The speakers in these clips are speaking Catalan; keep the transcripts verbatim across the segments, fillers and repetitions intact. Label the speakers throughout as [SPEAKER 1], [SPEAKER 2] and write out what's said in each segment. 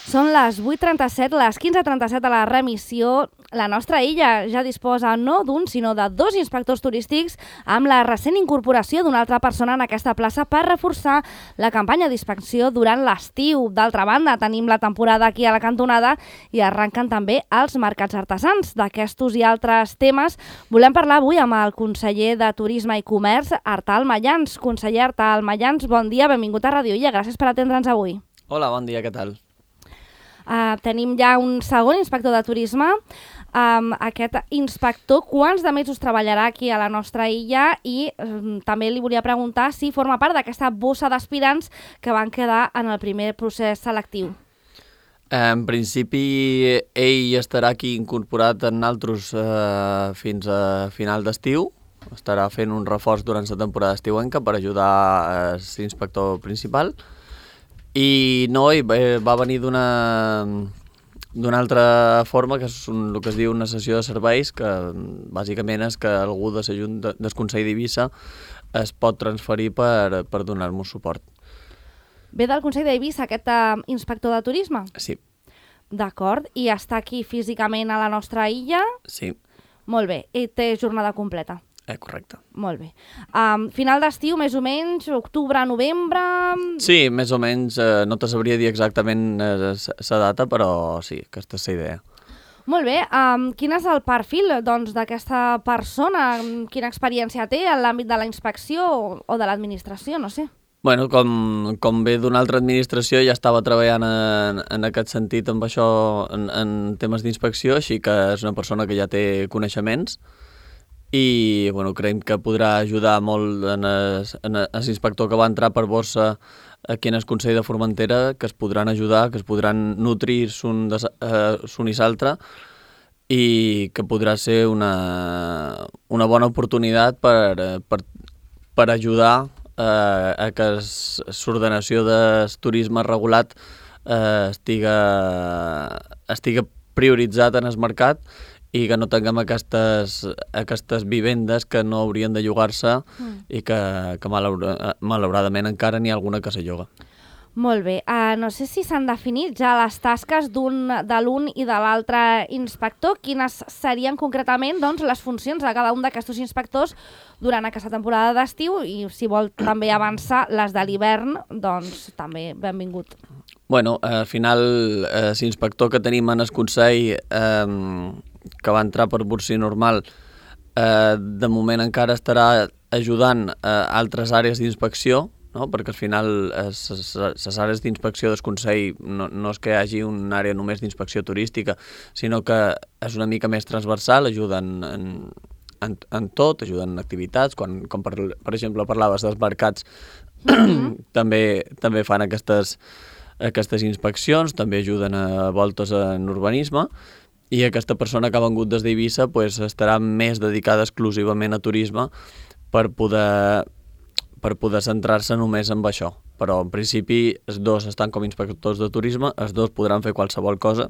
[SPEAKER 1] Són les vuit trenta-set, les quinze trenta-set a la remissió. La nostra illa ja disposa no d'un, sinó de dos inspectors turístics amb la recent incorporació d'una altra persona en aquesta plaça per reforçar la campanya d'inspecció durant l'estiu. D'altra banda, tenim la temporada aquí a la cantonada i arrenquen també els mercats artesans. D'aquestos i altres temes volem parlar avui amb el conseller de Turisme i Comerç, Artal Mayans. Conseller Artal Mayans, bon dia, benvingut a Ràdio Illa, gràcies per atendre'ns avui.
[SPEAKER 2] Hola, bon dia, què tal?
[SPEAKER 1] Uh, tenim ja un segon inspector de turisme. Um, aquest inspector, quants de mesos treballarà aquí a la nostra illa? I um, també li volia preguntar si forma part d'aquesta bossa d'aspirants que van quedar en el primer procés selectiu.
[SPEAKER 2] En principi, ell estarà aquí incorporat en altres eh, fins a final d'estiu. Estarà fent un reforç durant la temporada estiuenca per ajudar a l'inspector principal. I no, ell va venir d'una d'una altra forma, que és un, el que es diu una sessió de serveis, que bàsicament és que algú de la Junta del Consell d'Eivissa es pot transferir per, per donar-nos suport.
[SPEAKER 1] Ve del Consell d'Eivissa aquest uh, inspector de turisme?
[SPEAKER 2] Sí.
[SPEAKER 1] D'acord, i està aquí físicament a la nostra illa?
[SPEAKER 2] Sí.
[SPEAKER 1] Molt bé, i té jornada completa?
[SPEAKER 2] Eh, correcte.
[SPEAKER 1] Molt bé. Um, final d'estiu, més o menys, octubre, novembre...
[SPEAKER 2] Sí, més o menys, eh, no te sabria dir exactament la eh, data, però sí, aquesta és la idea.
[SPEAKER 1] Molt bé. Um, quin és el perfil doncs, d'aquesta persona? Quina experiència té en l'àmbit de la inspecció o, o de l'administració? No sé.
[SPEAKER 2] Bueno, com, com ve d'una altra administració, ja estava treballant en, en aquest sentit amb això, en, en temes d'inspecció, així que és una persona que ja té coneixements i bueno, creiem que podrà ajudar molt en l'inspector que va entrar per bossa aquí en el Consell de Formentera, que es podran ajudar, que es podran nutrir l'un uh, i l'altre i que podrà ser una, una bona oportunitat per, per, per ajudar Uh, a que l'ordenació del turisme regulat uh, estiga, estiga prioritzat en el mercat i que no tinguem aquestes, aquestes vivendes que no haurien de llogar-se mm. i que, que malaura, malauradament encara n'hi ha alguna que se lloga.
[SPEAKER 1] Molt bé. Uh, no sé si s'han definit ja les tasques d'un, de l'un i de l'altre inspector. Quines serien concretament doncs, les funcions de cada un d'aquests inspectors durant aquesta temporada d'estiu i si vol també avançar les de l'hivern, doncs també benvingut.
[SPEAKER 2] Bueno, al final eh, l'inspector que tenim en el Consell eh, que va entrar per bursi normal eh, de moment encara estarà ajudant a eh, altres àrees d'inspecció, no? Perquè al final les àrees d'inspecció del Consell no, no és que hi hagi una àrea només d'inspecció turística, sinó que és una mica més transversal, ajuden en, en, en tot, ajuden en activitats, quan, com per, per exemple parlaves dels mercats, mm-hmm. també, també fan aquestes, aquestes inspeccions, també ajuden a voltes en urbanisme, i aquesta persona que ha vengut des d'Eivissa pues, estarà més dedicada exclusivament a turisme per poder... per poder centrar-se només en això. Però, en principi, els dos estan com inspectors de turisme, els dos podran fer qualsevol cosa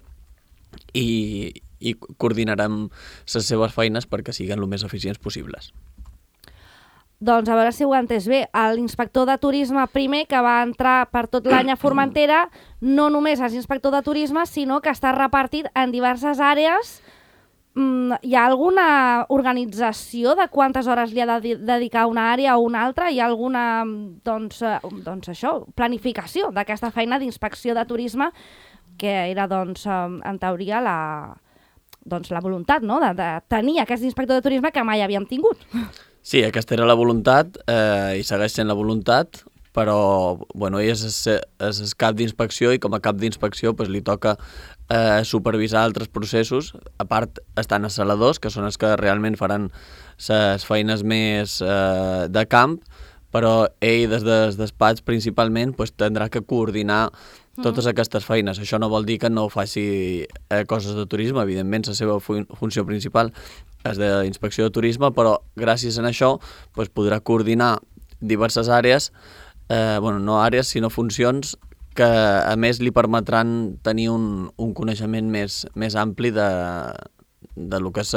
[SPEAKER 2] i, i coordinarem les seves feines perquè siguin el més eficients possibles.
[SPEAKER 1] Doncs a veure si ho he entès bé. L'inspector de turisme primer, que va entrar per tot l'any a Formentera, no només és inspector de turisme, sinó que està repartit en diverses àrees. Hi ha alguna organització de quantes hores li ha de dedicar una àrea o una altra? Hi ha alguna doncs, doncs això, planificació d'aquesta feina d'inspecció de turisme que era doncs, en teoria la, doncs, la voluntat, no? de, de tenir aquest inspector de turisme que mai havíem tingut?
[SPEAKER 2] Sí, aquesta era la voluntat eh, i segueix sent la voluntat, però bueno, ell és, és, és cap d'inspecció i com a cap d'inspecció pues, li toca eh, supervisar altres processos. A part estan els saladors, que són els que realment faran les feines més eh, de camp, però ell des del despatx principalment pues, tindrà que coordinar totes aquestes feines. Això no vol dir que no faci eh, coses de turisme, evidentment la seva fun funció principal és d'inspecció de turisme, però gràcies a això pues, podrà coordinar diverses àrees, eh, bueno, no àrees sinó funcions que a més li permetran tenir un, un coneixement més, més ampli de, de lo que és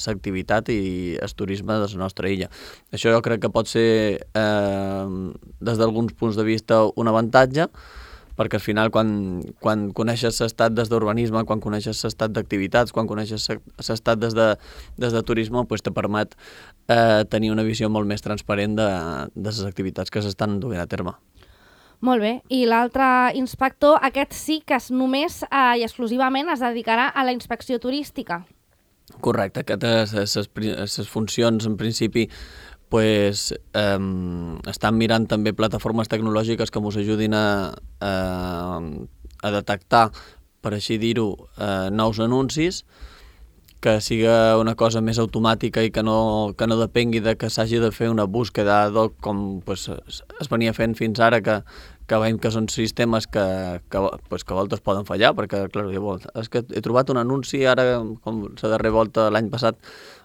[SPEAKER 2] l'activitat i el turisme de la nostra illa. Això jo crec que pot ser, eh, des d'alguns punts de vista, un avantatge, perquè al final quan, quan coneixes l'estat des d'urbanisme, quan coneixes l'estat d'activitats, quan coneixes l'estat des, de, des de turisme, pues te permet eh, tenir una visió molt més transparent de, de les activitats que s'estan duent a terme.
[SPEAKER 1] Molt bé, i l'altre inspector, aquest sí que es només eh, i exclusivament es dedicarà a la inspecció turística.
[SPEAKER 2] Correcte, aquestes les funcions en principi pues, eh, estan mirant també plataformes tecnològiques que ens ajudin a, a, a detectar, per així dir-ho, eh, nous anuncis, que siga una cosa més automàtica i que no, que no depengui de que s'hagi de fer una búsqueda ad hoc com pues, es venia fent fins ara, que, que veiem que són sistemes que, que, pues, que a voltes poden fallar, perquè clar, és que he trobat un anunci ara, com la darrera volta l'any passat,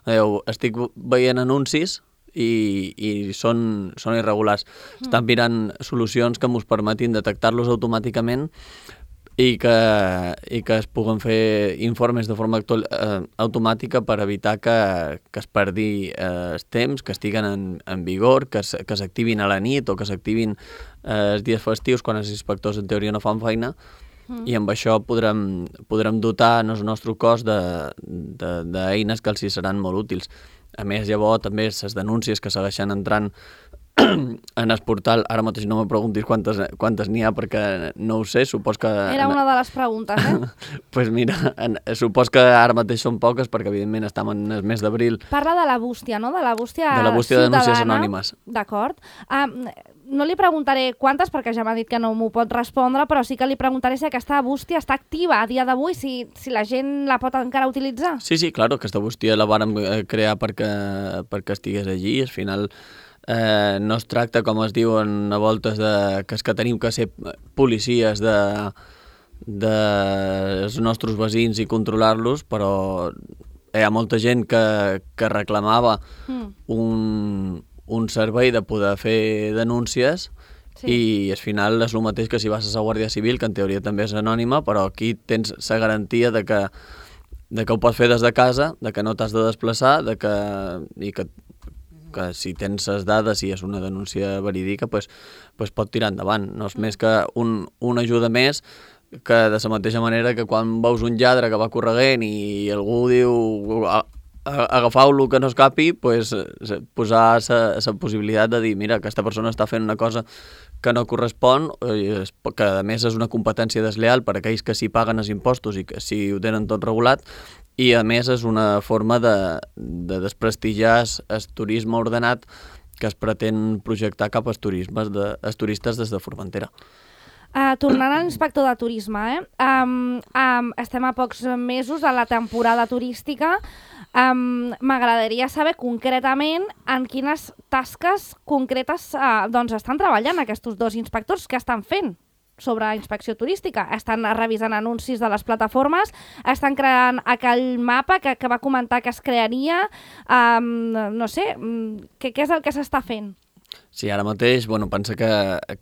[SPEAKER 2] eh, estic veient anuncis i, i són, són irregulars. Mm. Estan mirant solucions que ens permetin detectar-los automàticament i que, i que es puguen fer informes de forma actual, eh, automàtica per evitar que, que es perdi eh, els temps, que estiguen en, en vigor, que s'activin a la nit o que s'activin eh, els dies festius quan els inspectors en teoria no fan feina, mm. i amb això podrem, podrem dotar el nostre cos d'eines que els hi seran molt útils. A més, llavors, també les denúncies que segueixen entrant en el portal, ara mateix no me preguntis quantes quantes n'hi ha perquè no ho sé, supos que...
[SPEAKER 1] Era una de les preguntes, eh?
[SPEAKER 2] Doncs pues mira, en, supos que ara mateix són poques perquè evidentment estem en el mes d'abril.
[SPEAKER 1] Parla de la bústia, no? De la bústia
[SPEAKER 2] de la bústia de denúncies anònimes.
[SPEAKER 1] D'acord. Um, no li preguntaré quantes perquè ja m'ha dit que no m'ho pot respondre, però sí que li preguntaré si aquesta bústia està activa a dia d'avui, si, si la gent la pot encara utilitzar.
[SPEAKER 2] Sí, sí, claro, aquesta bústia la vàrem crear perquè, perquè estigués allí, al final... Eh, no es tracta, com es diuen a voltes, de, que és que tenim que ser policies de, de els nostres veïns i controlar-los, però hi ha molta gent que, que reclamava mm. un, un servei de poder fer denúncies, sí. I al final és el mateix que si vas a la Guàrdia Civil, que en teoria també és anònima, però aquí tens la garantia de que, de que ho pots fer des de casa, de que no t'has de desplaçar, de que, i que que si tens les dades i és una denúncia verídica, pues, pues pot tirar endavant. No és més que un, una ajuda més que de la mateixa manera que quan veus un lladre que va corregent i algú diu agafau-lo que no escapi, pues, posar la possibilitat de dir mira, aquesta persona està fent una cosa que no correspon, que a més és una competència desleal per a aquells que s'hi paguen els impostos i que si ho tenen tot regulat, i a més és una forma de, de desprestigiar el turisme ordenat que es pretén projectar cap als, turismes de, als turistes des de Formentera.
[SPEAKER 1] Uh, tornant a l'inspector de turisme, eh? um, um, estem a pocs mesos de la temporada turística. Um, M'agradaria saber concretament en quines tasques concretes uh, doncs estan treballant aquests dos inspectors, que estan fent sobre inspecció turística. Estan revisant anuncis de les plataformes, estan creant aquell mapa que, que va comentar que es crearia, um, no sé, què, què és el que s'està fent?
[SPEAKER 2] Sí, ara mateix, bueno, pensa que,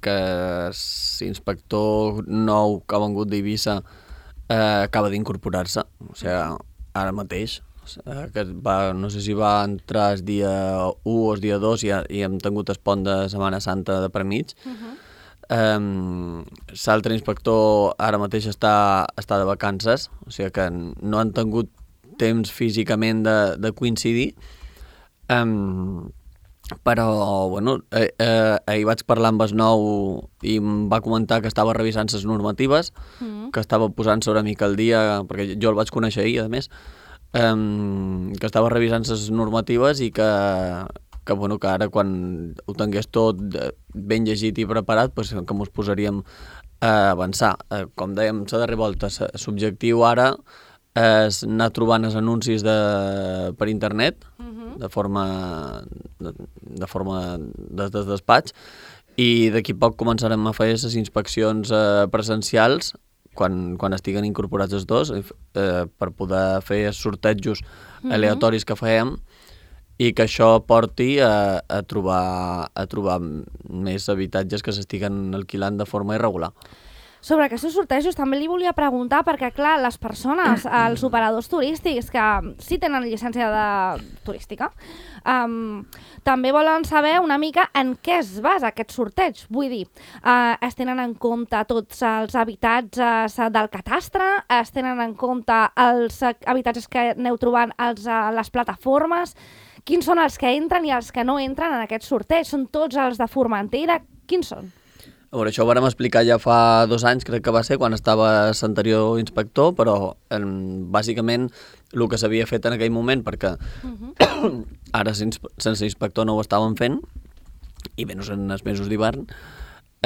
[SPEAKER 2] que l'inspector nou que ha vengut d'Eivissa eh, acaba d'incorporar-se, o sigui, ara mateix, que va, no sé si va entrar el dia u o el dia dos i, i hem tingut el pont de Setmana Santa de per mig. Uh-huh. Um, l'altre inspector ara mateix està, està de vacances, o sigui que no han tingut temps físicament de, de coincidir, um, però bueno, eh, eh, ahir vaig parlar amb el nou i em va comentar que estava revisant les normatives, mm. que estava posant sobre mica al dia, perquè jo el vaig conèixer ahir a més, um, que estava revisant les normatives i que que, bueno, que ara quan ho tingués tot ben llegit i preparat, pues, que ens posaríem a avançar. Eh, com dèiem, la darrera volta, l'objectiu ara és anar trobant els anuncis de, per internet, uh-huh. de forma de, de forma des del despatx, i d'aquí poc començarem a fer les inspeccions eh, presencials quan, quan estiguen incorporats els dos, eh, per poder fer els sortejos uh-huh. aleatoris que fèiem, i que això porti a, a, trobar, a trobar més habitatges que s'estiguen alquilant de forma irregular.
[SPEAKER 1] Sobre aquests sortejos també li volia preguntar, perquè clar, les persones, els operadors turístics que sí tenen llicència de... turística, um, també volen saber una mica en què es basa aquest sorteig. Vull dir, uh, es tenen en compte tots els habitatges del catastre, es tenen en compte els habitatges que aneu trobant als, a les plataformes, quins són els que entren i els que no entren en aquest sorteig? Són tots els de Formentera? Quins són?
[SPEAKER 2] A veure, això ho vàrem explicar ja fa dos anys, crec que va ser, quan estava l'anterior inspector, però eh, bàsicament el que s'havia fet en aquell moment, perquè uh-huh. ara sense inspector no ho estàvem fent, i menys en els mesos d'hivern,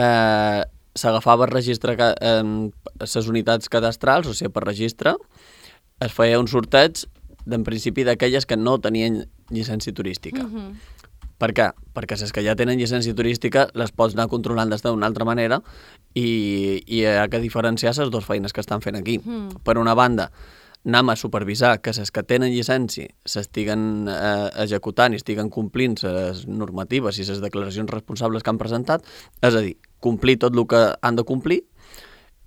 [SPEAKER 2] eh, s'agafava el registre, eh, les unitats cadastrals, o sigui, per registre, es feia un sorteig, en principi, d'aquelles que no tenien llicència turística. Uh-huh. Per què? Perquè les que ja tenen llicència turística les pots anar controlant des d'una altra manera i, i hi ha que diferenciar les dues feines que estan fent aquí. Mm. Per una banda, anem a supervisar que les que tenen llicència s'estiguen eh, executant i estiguen complint les normatives i les declaracions responsables que han presentat, és a dir, complir tot el que han de complir,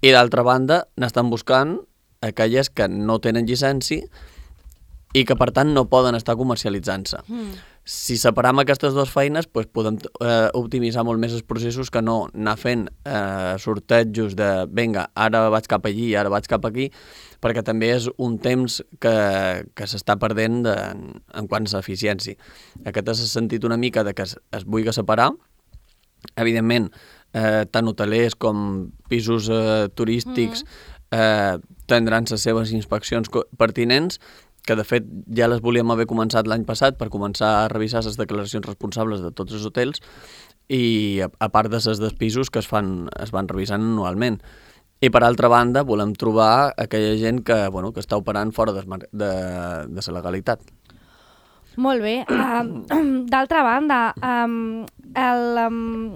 [SPEAKER 2] i d'altra banda n'estan buscant aquelles que no tenen llicència i que per tant no poden estar comercialitzant-se. Mm. Si separam aquestes dues feines, doncs podem eh, optimitzar molt més els processos que no anar fent eh, sortejos de vinga, ara vaig cap allí, ara vaig cap aquí, perquè també és un temps que, que s'està perdent de, en quant a eficiència. Aquest és el sentit una mica de que es, es vulgui separar. Evidentment, eh, tant hotelers com pisos eh, turístics mm. eh, tindran les seves inspeccions pertinents, que de fet ja les volíem haver començat l'any passat per començar a revisar les declaracions responsables de tots els hotels i a, a part de les dels pisos que es, fan, es van revisant anualment. I per altra banda volem trobar aquella gent que, bueno, que està operant fora de, de, de la legalitat.
[SPEAKER 1] Molt bé. Uh, d'altra banda, um, el... Um...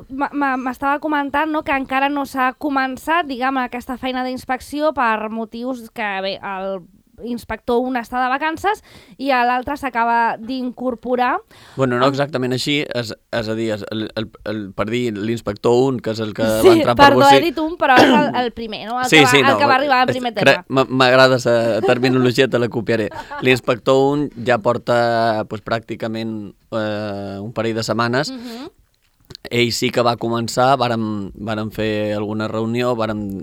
[SPEAKER 1] m'estava comentant, no, que encara no s'ha començat, diguem, aquesta feina d'inspecció per motius que, bé, el inspector un està de vacances i l'altre s'acaba d'incorporar.
[SPEAKER 2] Bueno, no exactament així, és, és a dir, el, el, el, per dir l'inspector un, que és el que sí, va entrar per
[SPEAKER 1] perdó,
[SPEAKER 2] Bocí...
[SPEAKER 1] he dit un, però és el, el primer, no? El,
[SPEAKER 2] sí,
[SPEAKER 1] que, va,
[SPEAKER 2] sí,
[SPEAKER 1] el
[SPEAKER 2] no,
[SPEAKER 1] que va arribar en primer tema.
[SPEAKER 2] M'agrada la terminologia, te la copiaré. L'inspector un ja porta pues, pràcticament eh, un parell de setmanes. Uh-huh. Ell sí que va començar, vàrem, vàrem fer alguna reunió, vàrem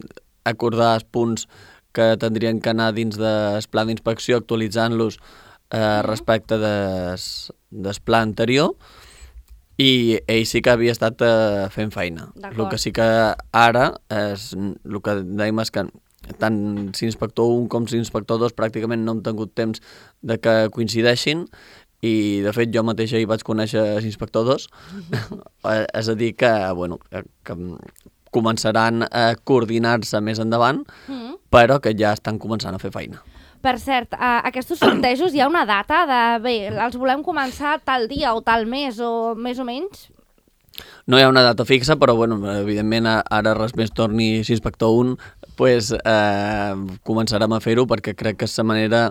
[SPEAKER 2] acordar els punts que tindrien que anar dins del pla d'inspecció, actualitzant-los eh, respecte des, del pla anterior, i ell sí que havia estat eh, fent feina. El que sí que ara, és, el que dèiem és que tant s'inspector un com s'inspector dos pràcticament no hem tingut temps de que coincideixin, i de fet jo mateixa hi vaig conèixer l'inspector dos, és a dir que, bueno, que començaran a coordinar-se més endavant, mm. però que ja estan començant a fer feina.
[SPEAKER 1] Per cert, a aquests sortejos hi ha una data de, bé, els volem començar tal dia o tal mes o més o menys?
[SPEAKER 2] No hi ha una data fixa, però bueno, evidentment ara res més torni l'inspector un, pues, eh, començarem a fer-ho perquè crec que és la manera,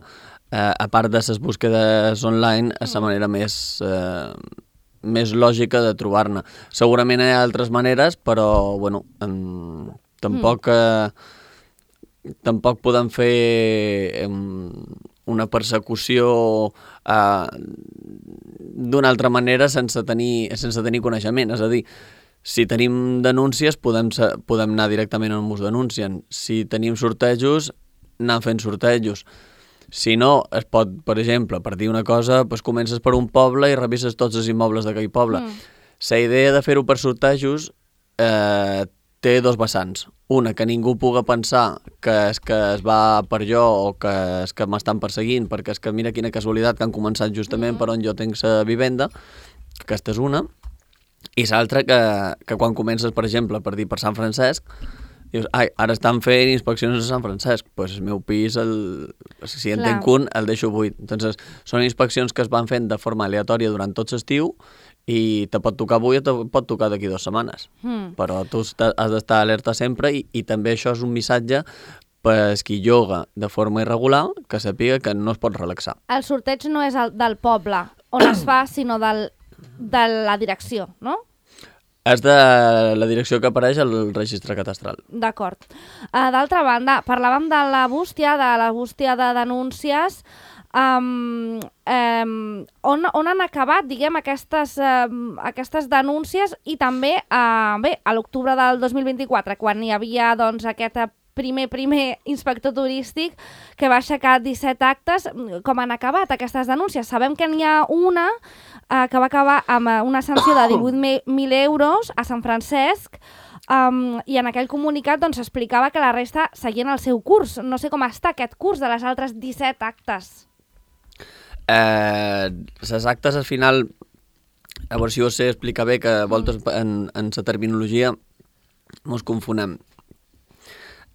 [SPEAKER 2] eh, a part de les búsquedes online, és la manera més... Eh, més lògica de trobar-ne. Segurament hi ha altres maneres, però, bueno, em, tampoc, eh, tampoc podem fer em, una persecució eh, d'una altra manera sense tenir, sense tenir coneixement. És a dir, si tenim denúncies, podem, podem anar directament on ens denuncien. Si tenim sortejos, anem fent sortejos. Si no, es pot, per exemple, per dir una cosa, doncs comences per un poble i revises tots els immobles d'aquell poble. Mm. La idea de fer-ho per sortejos eh, té dos vessants. Una, que ningú puga pensar que és que es va per jo o que és que m'estan perseguint, perquè és que mira quina casualitat que han començat justament mm. per on jo tinc la vivenda. Aquesta és una. I l'altra, que, que quan comences, per exemple, per dir per Sant Francesc, dius, ai, ara estan fent inspeccions a Sant Francesc, doncs pues el meu pis, el, si en tenc un, el deixo buit. Entonces, són inspeccions que es van fent de forma aleatòria durant tot l'estiu i te pot tocar avui o te pot tocar d'aquí dues setmanes. Mm. Però tu has d'estar alerta sempre i, i també això és un missatge per qui lloga de forma irregular que sàpiga que no es pot relaxar.
[SPEAKER 1] El sorteig no és el del poble on es fa, sinó del, de la direcció, no?
[SPEAKER 2] És de la direcció que apareix al registre catastral.
[SPEAKER 1] D'acord. Uh, D'altra banda, parlàvem de la bústia, de la bústia de denúncies. Um, um, on, on han acabat, diguem, aquestes, um, aquestes denúncies i també, uh, bé, a l'octubre del dos mil vint-i-quatre, quan hi havia, doncs, aquest primer, primer inspector turístic que va aixecar disset actes, com han acabat aquestes denúncies? Sabem que n'hi ha una eh, que va acabar amb una sanció de divuit mil euros a Sant Francesc, um, i en aquell comunicat doncs, explicava que la resta seguien el seu curs. No sé com està aquest curs de les altres disset actes.
[SPEAKER 2] Eh, les actes al final, a veure si ho sé explicar bé, que a voltes en, en la terminologia mos confonem.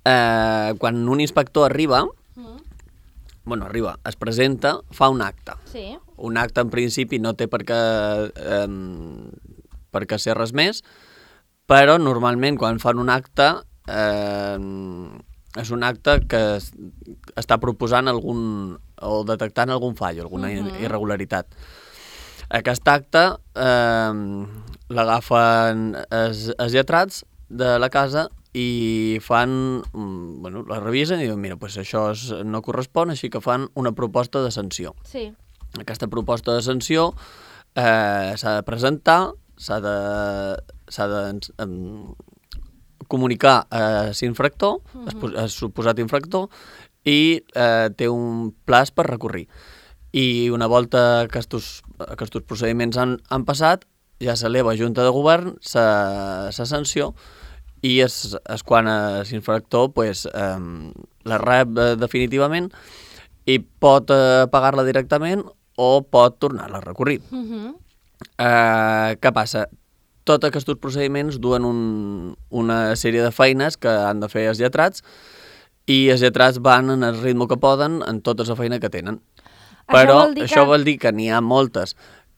[SPEAKER 2] Eh, quan un inspector arriba, mm. bueno, arriba, es presenta, fa un acte.
[SPEAKER 1] Sí.
[SPEAKER 2] Un acte en principi no té per què, eh, per què ser res més, però normalment quan fan un acte eh, és un acte que es, està proposant algun, o detectant algun fall, alguna mm-hmm. irregularitat. Aquest acte eh, l'agafen els, els lletrats de la casa i fan, bueno, la revisen i diuen, mira, pues això es, no correspon, així que fan una proposta de sanció.
[SPEAKER 1] Sí.
[SPEAKER 2] Aquesta proposta de sanció eh, s'ha de presentar, s'ha de, s'ha de um, comunicar a l'infractor, uh-huh. a suposat infractor, i eh, té un plaç per recorrir. I una volta que aquests, aquests procediments han, han passat, ja s'eleva a Junta de Govern la sanció, i és, és quan l'infractor pues, eh, la rep eh, definitivament i pot eh, pagar-la directament o pot tornar-la a recorrir. Uh-huh. eh, què passa? Tots aquests procediments duen un, una sèrie de feines que han de fer els lletrats i els lletrats van en el ritme que poden en tota la feina que tenen. Però això vol dir que, això vol dir que n'hi ha moltes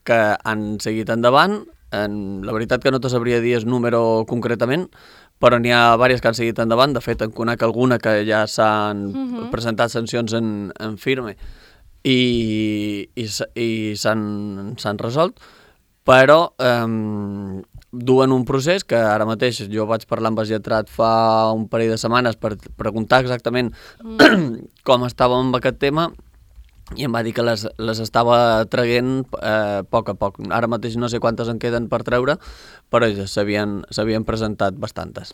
[SPEAKER 2] que han seguit endavant. En, la veritat que no te sabria dir el número concretament, però n'hi ha diverses que han seguit endavant. De fet, en conec alguna que ja s'han uh-huh. presentat sancions en, en firme i, i, i s'han resolt, però eh, duen un procés que ara mateix jo vaig parlar amb el lletrat fa un parell de setmanes per preguntar exactament uh-huh. com estàvem amb aquest tema, i em va dir que les, les estava traguent eh, a poc a poc. Ara mateix no sé quantes en queden per treure, però ja s'havien presentat bastantes.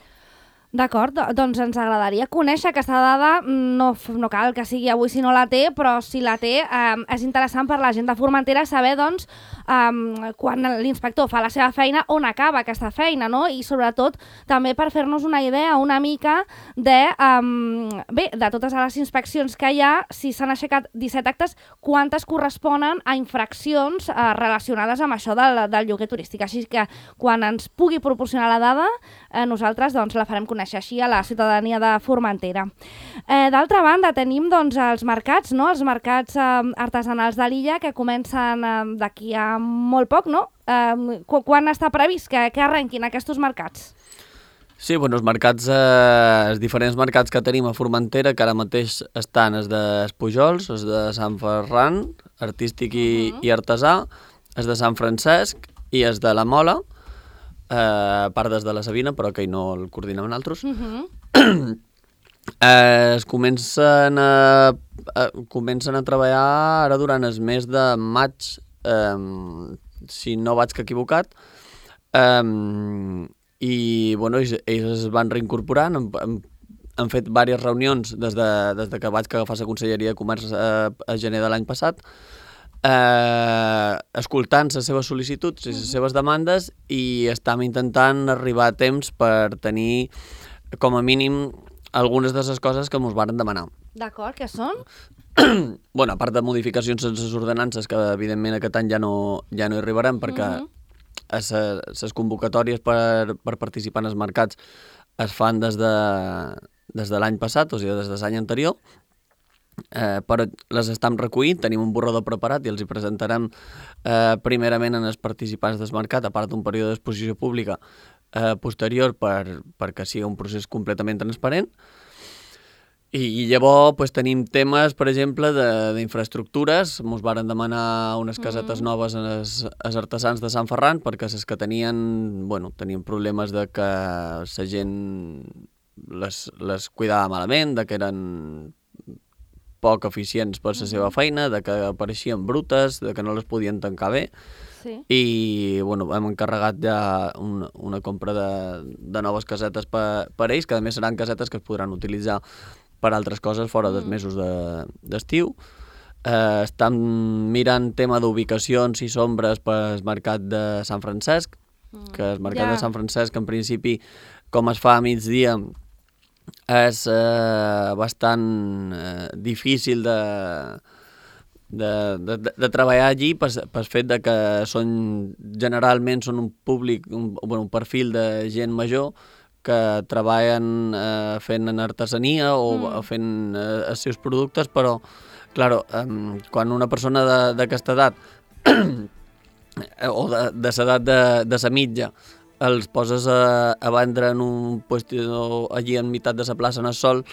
[SPEAKER 1] D'acord, doncs ens agradaria conèixer aquesta dada, no, no cal que sigui avui si no la té, però si la té eh, és interessant per la gent de Formentera saber doncs, eh, quan l'inspector fa la seva feina, on acaba aquesta feina, no? I sobretot també per fer-nos una idea una mica de, eh, bé, de totes les inspeccions que hi ha, si s'han aixecat disset actes, quantes corresponen a infraccions eh, relacionades amb això del, del lloguer turístic. Així que quan ens pugui proporcionar la dada, eh, nosaltres doncs, la farem conèixer així a la ciutadania de Formentera. Eh, D'altra banda, tenim doncs, els mercats, no? Els mercats eh, artesanals de l'illa que comencen eh, d'aquí a molt poc, no? Eh, quan està previst que, que arrenquin aquests mercats?
[SPEAKER 2] Sí, bueno, els mercats, eh, els diferents mercats que tenim a Formentera, que ara mateix estan els de Pujols, els de Sant Ferran, artístic i, uh-huh. i artesà, els de Sant Francesc i els de la Mola, Uh, a part des de la Sabina, però que no el coordinem nosaltres. Uh-huh. uh, es comencen a, a, comencen a treballar ara durant el mes de maig, um, si no vaig que equivocat, um, i bueno, ells, ells es van reincorporant, han, han, han fet diverses reunions des de, des de que vaig agafar la Conselleria de Comerç a, a gener de l'any passat, Eh, escoltant les seves sol·licituds i les seves demandes, i estem intentant arribar a temps per tenir com a mínim algunes de les coses que ens varen demanar.
[SPEAKER 1] D'acord, què són?
[SPEAKER 2] Bueno, a part de modificacions en les ordenances, que evidentment aquest any ja no, ja no hi arribarem, perquè uh-huh. les convocatòries per, per participar en els mercats es fan des de, des de l'any passat, o sigui, des de l'any anterior. Eh, però les estem recollint, tenim un borrador preparat i els hi presentarem eh, primerament en els participants del mercat, a part d'un període d'exposició pública eh, posterior per, perquè sigui un procés completament transparent. I, i llavors pues, tenim temes, per exemple, d'infraestructures. Ens varen demanar unes casetes mm. noves als, als artesans de Sant Ferran, perquè les que tenien, bueno, tenien problemes de que la gent les, les cuidava malament, de que eren poc eficients per la seva feina, de que apareixien brutes, de que no les podien tancar bé. Sí. I bueno, hem encarregat ja un, una compra de, de noves casetes per, per ells, que a més seran casetes que es podran utilitzar per altres coses fora dels mesos d'estiu. De, eh, estan mirant tema d'ubicacions i sombres pel mercat de Sant Francesc, mm. que el mercat yeah. de Sant Francesc, en principi, com es fa a migdia, és eh, bastant eh, difícil de... De, de, de treballar allí per, per fet de que són, generalment són un públic, un, bueno, un perfil de gent major que treballen eh, fent en artesania o mm. fent eh, els seus productes, però claro, eh, quan una persona d'aquesta edat o de, de l'edat de, de sa mitja els poses a, a vendre en un puesto allí en meitat de la plaça en el sol,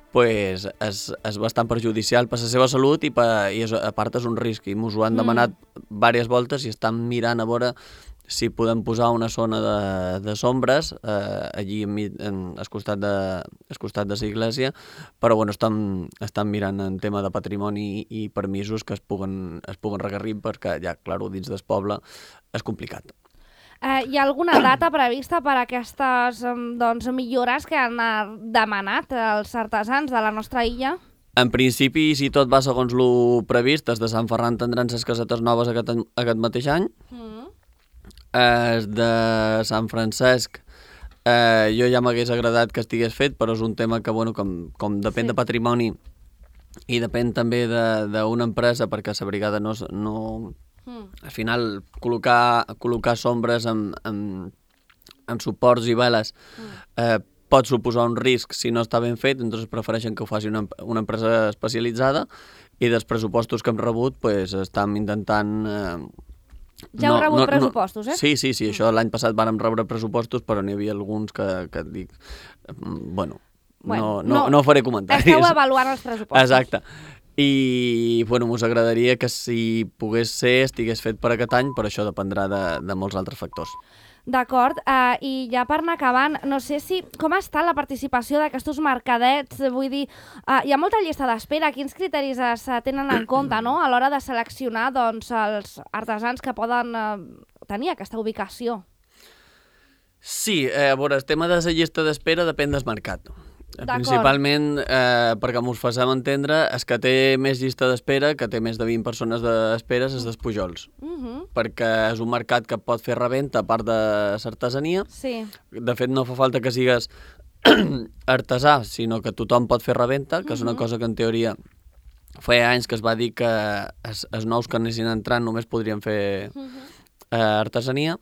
[SPEAKER 2] pues és, és bastant perjudicial per la seva salut i, per, i és, a part és un risc. I ens ho han demanat mm. diverses voltes i estan mirant a veure si podem posar una zona de, de sombres eh, allí en, en, al costat de al costat de l'església, però bueno, estan, estan mirant en tema de patrimoni i, i permisos que es puguen, es puguen regarrir perquè ja, clar, dins del poble és complicat.
[SPEAKER 1] Eh, hi ha alguna data prevista per a aquestes doncs, millores que han demanat els artesans de la nostra illa?
[SPEAKER 2] En principi, si tot va segons el previst, els de Sant Ferran tindran les casetes noves aquest, aquest mateix any. Mm. Els de Sant Francesc, eh, jo ja m'hagués agradat que estigués fet, però és un tema que, bueno, com, com depèn sí. de patrimoni i depèn també d'una empresa, perquè la brigada no... no al final, col·locar, col·locar sombres en, en, en suports i veles eh, pot suposar un risc si no està ben fet, doncs prefereixen que ho faci una, una empresa especialitzada i dels pressupostos que hem rebut pues, estem intentant... Eh,
[SPEAKER 1] ja heu no, rebut no, pressupostos,
[SPEAKER 2] no, eh? Sí, sí, sí, això l'any passat vàrem rebre pressupostos, però n'hi havia alguns que, que dic... Bueno, bueno no, no, no, no faré comentaris.
[SPEAKER 1] Esteu avaluant els pressupostos.
[SPEAKER 2] Exacte. I bueno, us agradaria que si pogués ser estigués fet per aquest any, però això dependrà de, de molts altres factors.
[SPEAKER 1] D'acord, uh, i ja per anar acabant, no sé si com està la participació d'aquests mercadets, vull dir, uh, hi ha molta llista d'espera, quins criteris es tenen en compte, no?, a l'hora de seleccionar doncs, els artesans que poden uh, tenir aquesta ubicació?
[SPEAKER 2] Sí, eh, a veure, el tema de la llista d'espera depèn del mercat. Principalment, eh, perquè m'ho facem entendre, és que té més llista d'espera, que té més de vint persones d'espera, és dels Pujols. Uh -huh. Perquè és un mercat que pot fer reventa a part de l'artesania. Sí. De fet, no fa falta que sigues artesà, sinó que tothom pot fer reventa, que uh -huh. és una cosa que en teoria feia anys que es va dir que els, els nous que anessin entrant només podrien fer uh -huh. eh, artesania.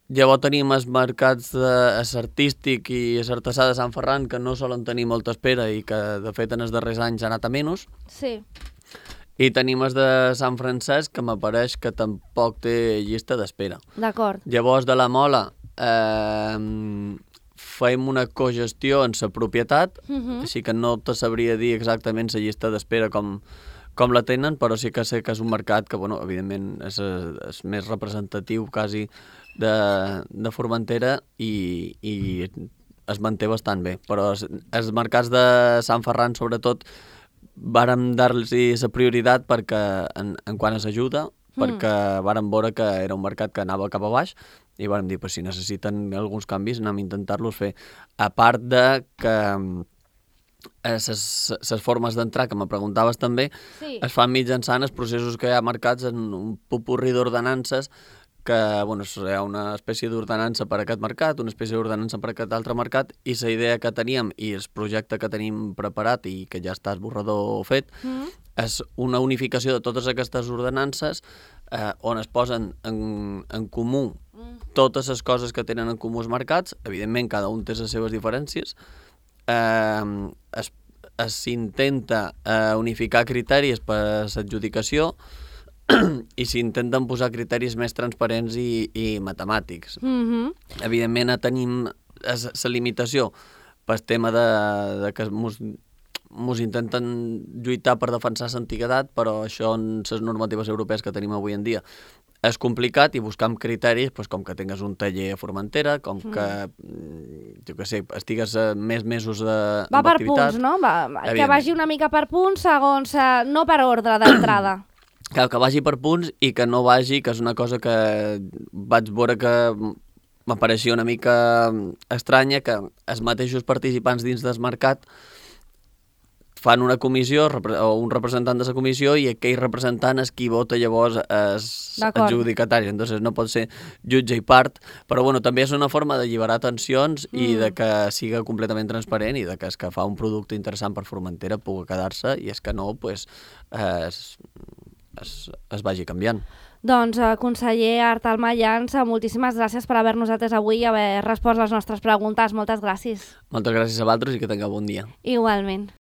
[SPEAKER 2] Llavors tenim els mercats de, els artístic i els artesà de Sant Ferran, que no solen tenir molta espera i que, de fet, en els darrers anys ha anat a menys. Sí. I tenim els de Sant Francesc, que m'apareix que tampoc té llista d'espera.
[SPEAKER 1] D'acord.
[SPEAKER 2] Llavors, de la Mola, eh, fem una cogestió en la propietat, uh-huh. així que no te sabria dir exactament la llista d'espera com, com la tenen, però sí que sé que és un mercat que, bueno, evidentment, és, és més representatiu, quasi, de, de Formentera i, i es manté bastant bé. Però els, els mercats de Sant Ferran, sobretot, vàrem dar-los la prioritat perquè, en, en quant a l'ajuda, mm. perquè vàrem veure que era un mercat que anava cap a baix i vàrem dir, pues, si necessiten alguns canvis, anem a intentar-los fer. A part de que les formes d'entrar, que me preguntaves també, sí. es fan mitjançant els processos que hi ha marcats en un popurri d'ordenances que, bueno, hi ha una espècie d'ordenança per a aquest mercat, una espècie d'ordenança per a aquest altre mercat, i la idea que teníem i el projecte que tenim preparat i que ja està esborrador fet, mm. és una unificació de totes aquestes ordenances eh, on es posen en, en comú mm. totes les coses que tenen en comú els mercats. Evidentment, cada un té les seves diferències. Eh, es, s'intenta eh, unificar criteris per l'adjudicació i s'intenten posar criteris més transparents i, i matemàtics. Mm-hmm. Evidentment, tenim la limitació pel tema de, de que mos mos intenten lluitar per defensar l'antiguitat, però això en les normatives europees que tenim avui en dia és complicat i buscar amb criteris, doncs, com que tingues un taller a Formentera, com que, mm. jo què sé, estigues més mesos de,
[SPEAKER 1] va per
[SPEAKER 2] d'activitat.
[SPEAKER 1] punts, no? Va, que vagi una mica per punts, segons, eh, no per ordre d'entrada.
[SPEAKER 2] Que, que vagi per punts i que no vagi, que és una cosa que vaig veure que m'apareixia una mica estranya, que els mateixos participants dins del mercat fan una comissió o un representant de la comissió i aquell representant és qui vota llavors és adjudicatari, entonces no pot ser jutge i part, però bueno, també és una forma d'alliberar tensions mm. i de que siga completament transparent i de que és que fa un producte interessant per Formentera pugui quedar-se i és que no, pues, es, es, es vagi canviant.
[SPEAKER 1] Doncs, eh, conseller Artal Mayans, moltíssimes gràcies per haver-nos atès avui i haver respost les nostres preguntes. Moltes gràcies.
[SPEAKER 2] Moltes gràcies a vosaltres i que tingueu bon dia.
[SPEAKER 1] Igualment.